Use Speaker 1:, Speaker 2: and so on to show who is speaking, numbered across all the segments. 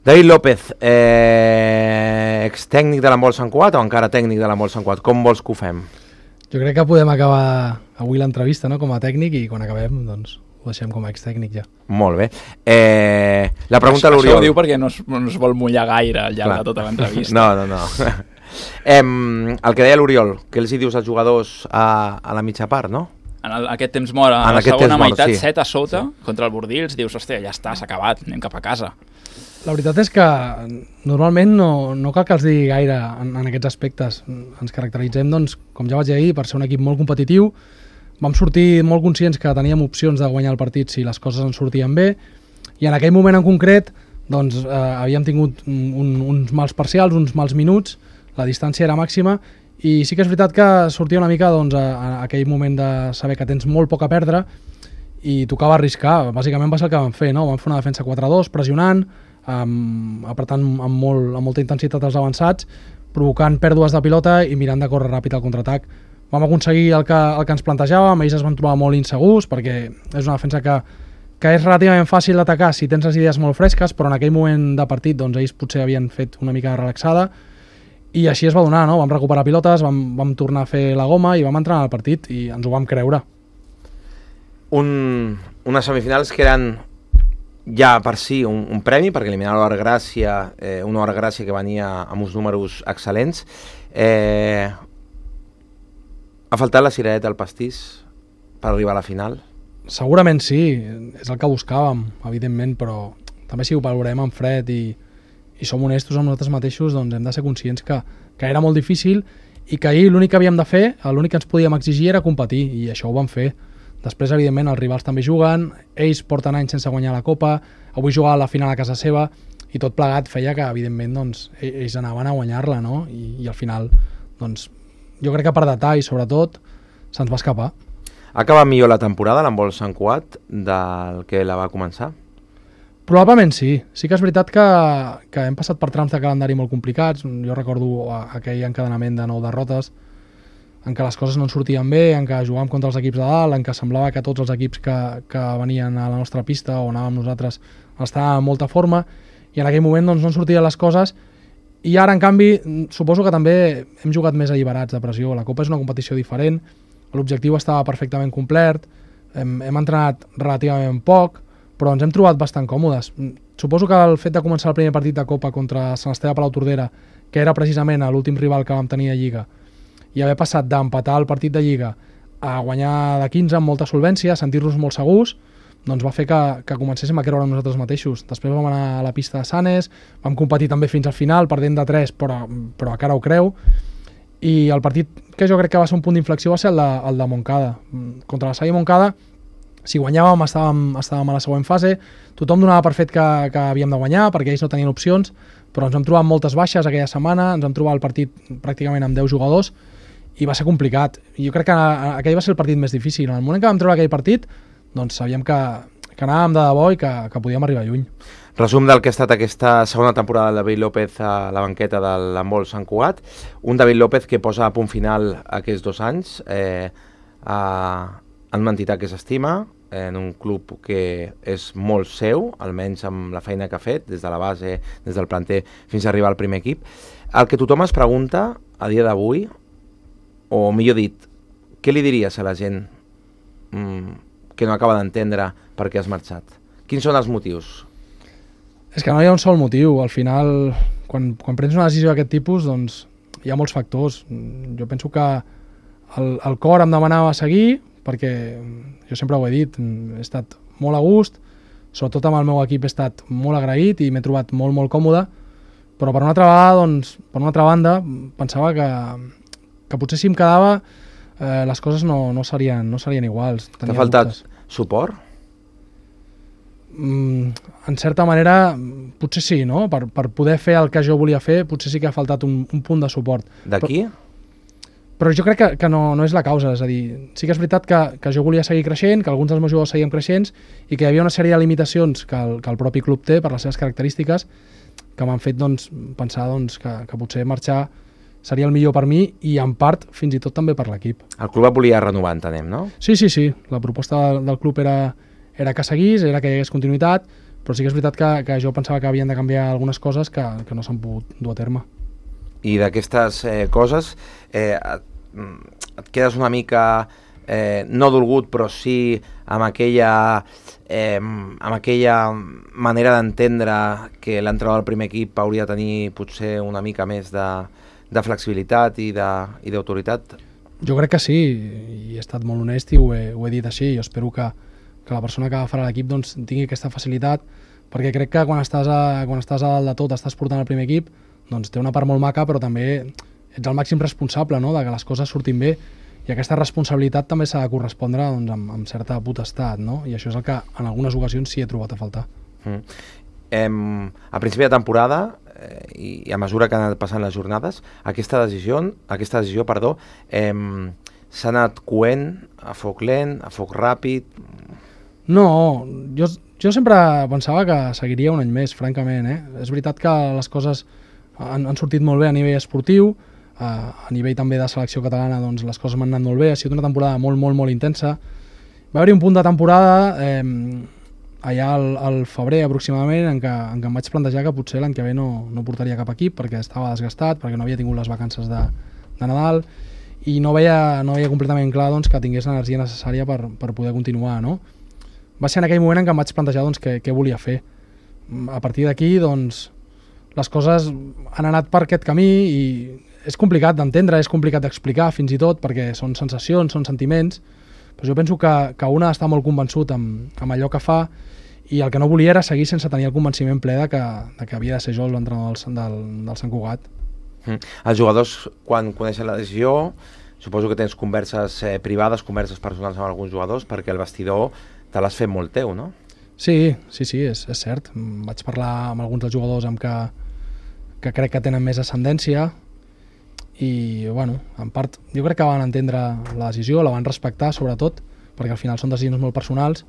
Speaker 1: David López, ex-tècnic de l'handbol Sant Cugat o encara tècnic de l'handbol Sant Cugat? Com vols que ho fem?
Speaker 2: Jo crec que podem acabar avui l'entrevista, no?, com a tècnic, i quan acabem doncs ho deixem com a ex-tècnic ja.
Speaker 1: Molt bé. La pregunta a l'Oriol...
Speaker 3: Això ho diu perquè no es vol mullar gaire al llarg de tota l'entrevista.
Speaker 1: No. El que deia l'Oriol, què els hi dius als jugadors a la mitja part, no?
Speaker 3: En aquest temps mort, a la segona meitat, 7 a sota, contra el Bordils, dius, hòstia, ja està, s'ha acabat, anem cap a casa.
Speaker 2: La veritat és que normalment no cal que els digui gaire en aquests aspectes. Ens caracteritzem, doncs, com ja vaig dir ahir, per ser un equip molt competitiu. Vam sortir molt conscients que teníem opcions de guanyar el partit si les coses ens sortien bé, i en aquell moment en concret doncs, havíem tingut uns mals parcials, uns mals minuts, la distància era màxima, i sí que és veritat que sortia una mica doncs, a aquell moment de saber que tens molt poc a perdre i tocava arriscar. Bàsicament va ser el que vam fer, no? Vam fer una defensa 4-2, pressionant, apretant amb molta intensitat els avançats, provocant pèrdues de pilota i mirant de córrer ràpid al contraatac. Vam aconseguir el que ens plantejàvem, ells es van trobar molt insegurs perquè és una defensa que és relativament fàcil d'atacar si tens les idees molt fresques, però en aquell moment de partit doncs, ells potser havien fet una mica de relaxada i així es va donar, no? Vam recuperar pilotes, vam tornar a fer la goma i vam entrar al partit i ens ho vam creure.
Speaker 1: Unes semifinals que eren ja per si un premi, perquè eliminar una hora gràcia que venia amb uns números excel·lents. Ha faltat la cirereta al pastís per arribar a la final?
Speaker 2: Segurament sí, és el que buscàvem, evidentment, però també si ho valorem en fred i som honestos amb nosaltres mateixos, doncs hem de ser conscients que era molt difícil i que ahir l'únic que havíem de fer, l'únic que ens podíem exigir era competir, i això ho vam fer. Després, evidentment, els rivals també juguen, ells porten anys sense guanyar la Copa, avui jugava la final a casa seva, i tot plegat feia que, evidentment, doncs, ells anaven a guanyar-la, no? I al final, doncs, jo crec que per detall, sobretot, se'ns va escapar.
Speaker 1: Ha acabat millor la temporada, l'handbol Sant Cugat, del que la va començar?
Speaker 2: Probablement sí. Sí que és veritat que hem passat per trams de calendari molt complicats. Jo recordo aquell encadenament de 9 derrotes, en què les coses no ens sortien bé, en què jugàvem contra els equips de dalt, en què semblava que tots els equips que venien a la nostra pista o anàvem nosaltres estaven en molta forma, i en aquell moment doncs, no ens sortien les coses, i ara, en canvi, suposo que també hem jugat més alliberats de pressió. La Copa és una competició diferent, l'objectiu estava perfectament complert, hem entrenat relativament poc, però ens hem trobat bastant còmodes. Suposo que el fet de començar el primer partit de Copa contra Sant Esteve Palau Tordera, que era precisament l'últim rival que vam tenir a Lliga, i haver passat d'empatar el partit de Lliga a guanyar de 15 amb molta solvència, sentir-nos molt segurs, doncs va fer que comencéssim a creure en nosaltres mateixos. Després vam anar a la pista de Sanes, vam competir també fins al final, perdent de 3, però encara ho creu, i el partit que jo crec que va ser un punt d'inflexió va ser el de Montcada. Contra la Salle Montcada, si guanyàvem estàvem a la següent fase, tothom donava per fet que havíem de guanyar, perquè ells no tenien opcions, però ens vam trobar amb moltes baixes aquella setmana, ens vam trobar el partit pràcticament amb 10 jugadors, i va ser complicat. Jo crec que aquell va ser el partit més difícil. En el moment que vam treure aquell partit, doncs sabíem que anàvem de debò i que podíem arribar lluny.
Speaker 1: Resum del que ha estat aquesta segona temporada del David López a la banqueta de l'handbol Sant Cugat. Un David López que posa a punt final aquests 2 anys en una entitat que s'estima, en un club que és molt seu, almenys amb la feina que ha fet, des de la base, des del planter, fins a arribar al primer equip. El que tothom es pregunta a dia d'avui, o millor dit, què li diries a la gent que no acaba d'entendre per què has marxat? Quins són els motius?
Speaker 2: És que no hi ha un sol motiu. Al final, quan prens una decisió d'aquest tipus, doncs hi ha molts factors. Jo penso que el cor em demanava seguir, perquè jo sempre ho he dit, he estat molt a gust, sobretot amb el meu equip he estat molt agraït i m'he trobat molt, molt còmode, però per una altra banda, pensava que potser si em quedava les coses no serien iguals.
Speaker 1: T'ha faltat suport?
Speaker 2: En certa manera, potser sí, no? Per poder fer el que jo volia fer, potser sí que ha faltat un punt de suport.
Speaker 1: D'aquí?
Speaker 2: Però jo crec que no és la causa, és a dir, sí que és veritat que jo volia seguir creixent, que alguns dels meus jugadors seguien creixents i que hi havia una sèrie de limitacions que el propi club té per les seves característiques que m'han fet pensar que potser marxar seria el millor per mi i en part fins i tot també per l'equip.
Speaker 1: El club et volia renovar, entenem, no?
Speaker 2: Sí. La proposta del club era que seguís, era que hi hagués continuïtat, però sí que és veritat que jo pensava que havien de canviar algunes coses que no s'han pogut dur a terme.
Speaker 1: I d'aquestes coses et quedes una mica no dolgut, però sí amb aquella manera d'entendre que l'entrenador del primer equip hauria de tenir potser una mica més de flexibilitat i d'autoritat?
Speaker 2: Jo crec que sí, i he estat molt honest i ho he dit així. Jo espero que la persona que agafarà l'equip doncs, tingui aquesta facilitat, perquè crec que quan estàs a dalt de tot, estàs portant el primer equip, doncs té una part molt maca, però també ets el màxim responsable, no?, de que les coses surtin bé, i aquesta responsabilitat també s'ha de correspondre doncs, amb certa potestat, no? I això és el que en algunes ocasions sí he trobat a faltar.
Speaker 1: A principi de temporada i a mesura que han anat passant les jornades, aquesta decisió s'ha anat coent a foc lent, a foc ràpid?
Speaker 2: No, jo sempre pensava que seguiria un any més, francament. És veritat que les coses han sortit molt bé a nivell esportiu, a nivell també de selecció catalana doncs les coses m'han anat molt bé, ha sigut una temporada molt, molt, molt intensa. Va haver-hi un punt de temporada allà al febrer aproximadament en què em vaig plantejar que potser l'any que ve no portaria cap equip perquè estava desgastat, perquè no havia tingut les vacances de Nadal i no veia completament clar doncs, que tingués l'energia necessària per poder continuar, no? Va ser en aquell moment en què em vaig plantejar doncs, què volia fer. A partir d'aquí doncs, les coses han anat per aquest camí i és complicat d'entendre, és complicat d'explicar fins i tot, perquè són sensacions, són sentiments, però jo penso que un ha d'estar molt convençut amb allò que fa i el que no volia era seguir sense tenir el convenciment ple de que havia de ser jo l'entrenador del Sant Cugat.
Speaker 1: Els jugadors, quan coneixen la decisió, suposo que tens converses privades, converses personals amb alguns jugadors, perquè el vestidor te l'has fet molt teu, no?
Speaker 2: Sí, és cert. Vaig parlar amb alguns dels jugadors amb que crec que tenen més ascendència i, bueno, en part, jo crec que van entendre la decisió, la van respectar, sobretot, perquè al final són decisions molt personals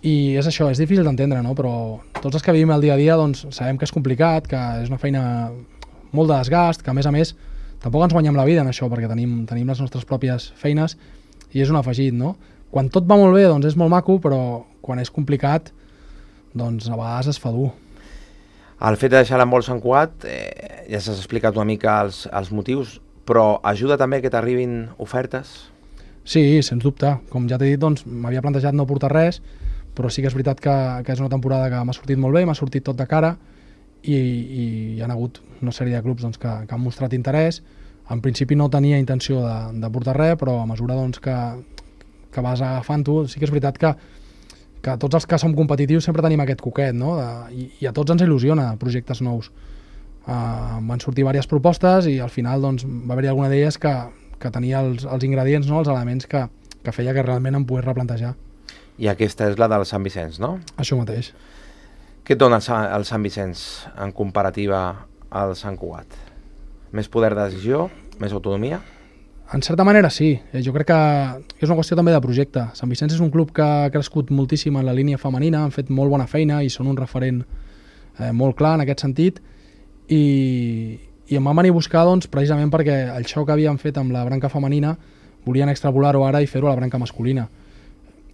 Speaker 2: i és això, és difícil d'entendre, no? Però tots els que vivim el dia a dia doncs, sabem que és complicat, que és una feina molt de desgast, que a més tampoc ens guanyem la vida en això perquè tenim les nostres pròpies feines i és un afegit, no? Quan tot va molt bé doncs és molt maco, però quan és complicat doncs a vegades es fa dur.
Speaker 1: El fet de deixar l'handbol Sant Cugat, ja s'has explicat una mica els motius, però ajuda també que t'arribin ofertes?
Speaker 2: Sí, sens dubte. Com ja t'he dit, doncs, m'havia plantejat no portar res, però sí que és veritat que és una temporada que m'ha sortit molt bé, m'ha sortit tot de cara i hi ha hagut una sèrie de clubs doncs, que han mostrat interès. En principi no tenia intenció de portar res, però a mesura doncs, que vas agafant-ho, sí que és veritat que tots els que som competitius sempre tenim aquest coquet, no? I a tots ens il·lusiona projectes nous. Van sortir diverses propostes i al final doncs, va haver-hi alguna d'elles que tenia els ingredients, no? Els elements que feia que realment em pogués replantejar.
Speaker 1: I aquesta és la del Sant Vicenç, no?
Speaker 2: Això mateix.
Speaker 1: Què et dona el Sant Vicenç en comparativa al Sant Cugat? Més poder de decisió? Més autonomia?
Speaker 2: En certa manera sí, jo crec que és una qüestió també de projecte. Sant Vicenç és un club que ha crescut moltíssim en la línia femenina, han fet molt bona feina i són un referent molt clar en aquest sentit i em van venir a buscar doncs, precisament perquè el xoc que havien fet amb la branca femenina volien extrapolar-ho ara i fer-ho a la branca masculina.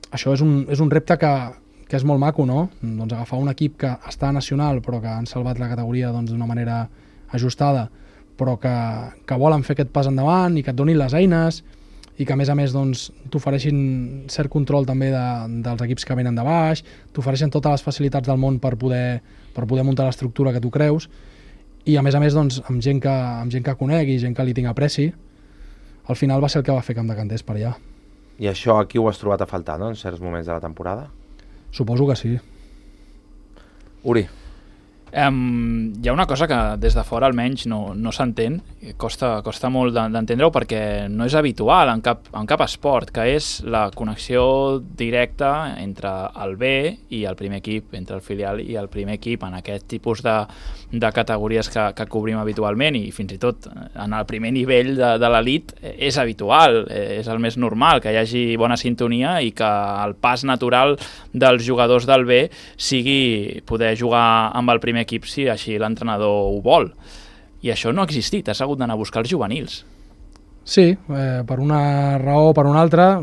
Speaker 2: Això és un repte que és molt maco, no? Doncs agafar un equip que està nacional però que han salvat la categoria doncs, d'una manera ajustada però que volen fer aquest pas endavant i que et donin les eines i que a més doncs, t'ofereixin cert control també dels equips que venen de baix, t'ofereixen totes les facilitats del món per poder muntar l'estructura que tu creus i a més doncs, amb gent que conec i gent que li tinc apreci, al final va ser el que va fer que em decantés per allà.
Speaker 1: I això aquí ho has trobat a faltar, no?, en certs moments de la temporada?
Speaker 2: Suposo que sí.
Speaker 1: Uri.
Speaker 3: Hi ha una cosa que des de fora almenys no s'entén, costa molt d'entendre-ho perquè no és habitual en cap esport, que és la connexió directa entre el B i el primer equip, entre el filial i el primer equip en aquest tipus de categories que cobrim habitualment i fins i tot en el primer nivell de l'elit és habitual, és el més normal que hi hagi bona sintonia i que el pas natural dels jugadors del B sigui poder jugar amb el primer equip si així l'entrenador ho vol. I això no ha existit, has hagut d'anar a buscar els juvenils.
Speaker 2: Sí, per una raó o per una altra,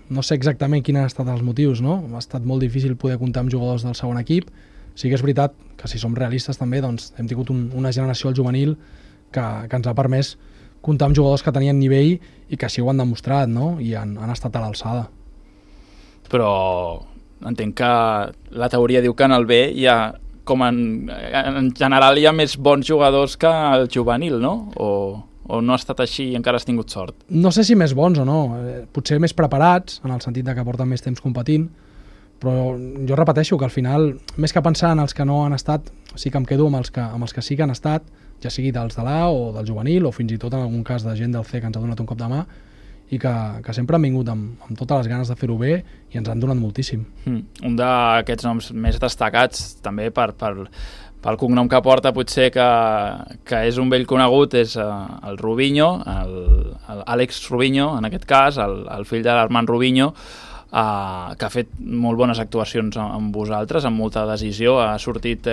Speaker 2: no sé exactament quins han estat els motius, no? Ha estat molt difícil poder comptar amb jugadors del segon equip. Sí que és veritat que si som realistes també doncs, hem tingut una generació al juvenil que ens ha permès comptar amb jugadors que tenien nivell i que així ho han demostrat, no? I han estat a l'alçada.
Speaker 3: Però entenc que la teoria diu que en el B hi ha, com en general hi ha més bons jugadors que el juvenil, no? O no ha estat així i encara has tingut sort?
Speaker 2: No sé si més bons o no, potser més preparats, en el sentit de que porten més temps competint, però jo repeteixo que al final, més que pensar en els que no han estat, sí que em quedo amb els que sí que han estat, ja sigui dels de l'A o del juvenil, o fins i tot en algun cas de gent del C que ens ha donat un cop de mà, i que sempre han vingut amb totes les ganes de fer-ho bé i ens han donat moltíssim.
Speaker 3: Un d'aquests noms més destacats, també pel cognom que porta, potser que és un vell conegut, és el Rubinho, l'Àlex Rubinho, en aquest cas, el fill de l'Armand Rubinho, que ha fet molt bones actuacions amb vosaltres, amb molta decisió, ha sortit,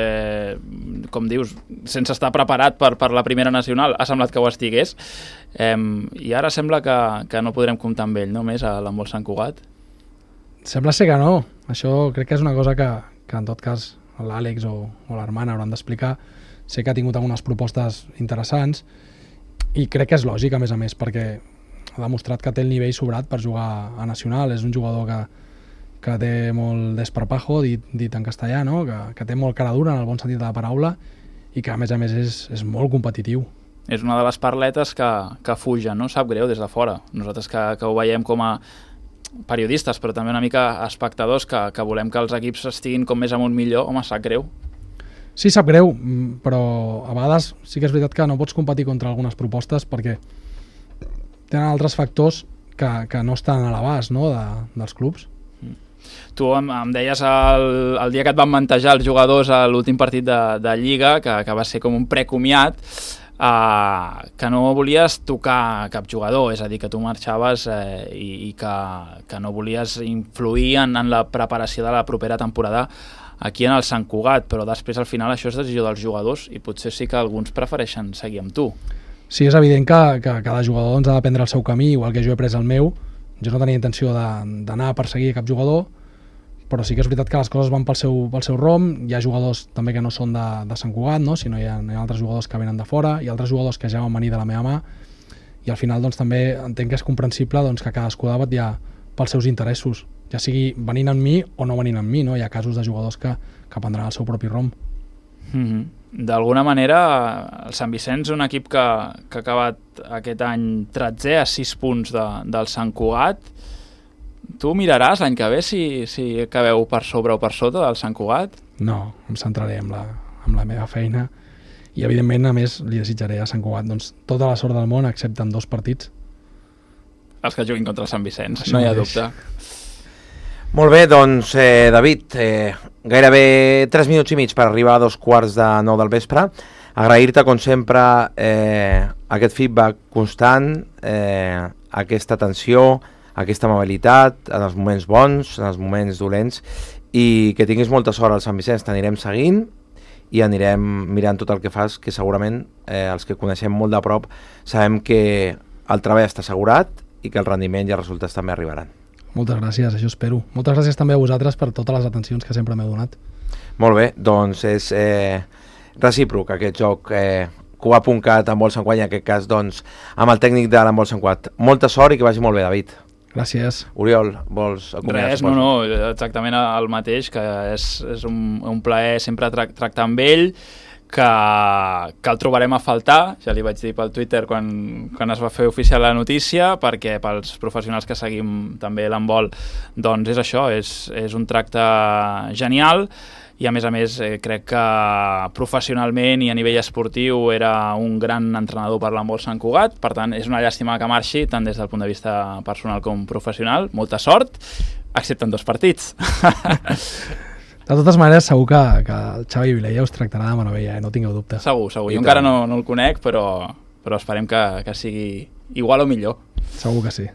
Speaker 3: com dius, sense estar preparat per la primera nacional, ha semblat que ho estigués, i ara sembla que no podrem comptar amb ell, no més, a l'handbol Sant Cugat.
Speaker 2: Sembla ser que no, això crec que és una cosa que en tot cas l'Àlex o l'Armand hauran d'explicar. Sé que ha tingut algunes propostes interessants i crec que és lògic, a més, perquè ha demostrat que té el nivell sobrat per jugar a nacional. És un jugador que té molt desparpajo, dit en castellà, no? que té molt cara dura en el bon sentit de la paraula i que a més és molt competitiu.
Speaker 3: És una de les parletes que fugen, no? Sap greu des de fora. Nosaltres que ho veiem com a periodistes, però també una mica espectadors que volem que els equips estiguin com més amunt millor, home, sap greu.
Speaker 2: Sí, sap greu, però a vegades sí que és veritat que no pots competir contra algunes propostes perquè tenen altres factors que no estan a l'abast, no, dels clubs.
Speaker 3: Tu em deies el dia que et van mantejar els jugadors a l'últim partit de Lliga, que va ser com un precomiat, que no volies tocar cap jugador, és a dir, que tu marxaves i que no volies influir en la preparació de la propera temporada aquí en el Sant Cugat, però després al final això és decisió dels jugadors i potser sí que alguns prefereixen seguir amb tu.
Speaker 2: Sí, és evident que cada jugador ha de prendre el seu camí, igual que jo he pres el meu. Jo no tenia intenció d'anar a perseguir cap jugador, però sí que és veritat que les coses van pel seu rom. Hi ha jugadors també que no són de Sant Cugat, no? Sinó hi ha altres jugadors que venen de fora, hi ha altres jugadors que ja van venir de la meva mà, i al final doncs, també entenc que és comprensible doncs, que cadascú ha de vetllar pels seus interessos, ja sigui venint amb mi o no venint amb mi, no? Hi ha casos de jugadors que prendran el seu propi rom.
Speaker 3: D'alguna manera, el Sant Vicenç, un equip que ha acabat aquest any 13è a 6 punts del Sant Cugat, tu miraràs l'any que ve si acabeu per sobre o per sota del Sant Cugat?
Speaker 2: No, em centraré en la meva feina i evidentment a més li desitjaré a Sant Cugat doncs, tota la sort del món excepte en 2 partits.
Speaker 3: Els que juguin contra el Sant Vicenç, això no hi ha dubte.
Speaker 1: Molt bé, doncs David, gairebé 3 minuts i mig per arribar a 2:15 del vespre. Agrair-te com sempre aquest feedback constant, aquesta atenció, aquesta amabilitat en els moments bons, en els moments dolents, i que tinguis molta sort al Sant Vicenç. T'anirem seguint i anirem mirant tot el que fas, que segurament els que coneixem molt de prop sabem que el treball està assegurat i que el rendiment i els resultats també arribaran.
Speaker 2: Moltes gràcies, això espero. Moltes gràcies també a vosaltres per totes les atencions que sempre m'heu donat.
Speaker 1: Molt bé, doncs és recíproc aquest joc Cugat.cat amb Sant Cugat, i en aquest cas doncs, amb el tècnic de l'handbol Sant Cugat. Molta sort i que vagi molt bé, David.
Speaker 2: Gràcies.
Speaker 1: Oriol, vols acomiadar?
Speaker 3: Res, no, exactament el mateix, que és un plaer sempre tractar amb ell, que el trobarem a faltar, ja li vaig dir pel Twitter quan es va fer oficial la notícia, perquè pels professionals que seguim també l'handbol, doncs és això, és un tracte genial, i a més crec que professionalment i a nivell esportiu era un gran entrenador per l'handbol Sant Cugat, per tant és una llàstima que marxi tant des del punt de vista personal com professional. Molta sort, excepte en 2 partits.
Speaker 2: De totes maneres, segur que el Xavi Vilella us tractarà de meravella, no tingueu dubte.
Speaker 3: Segur. Jo encara no el conec, però esperem que sigui igual o millor.
Speaker 2: Segur que sí.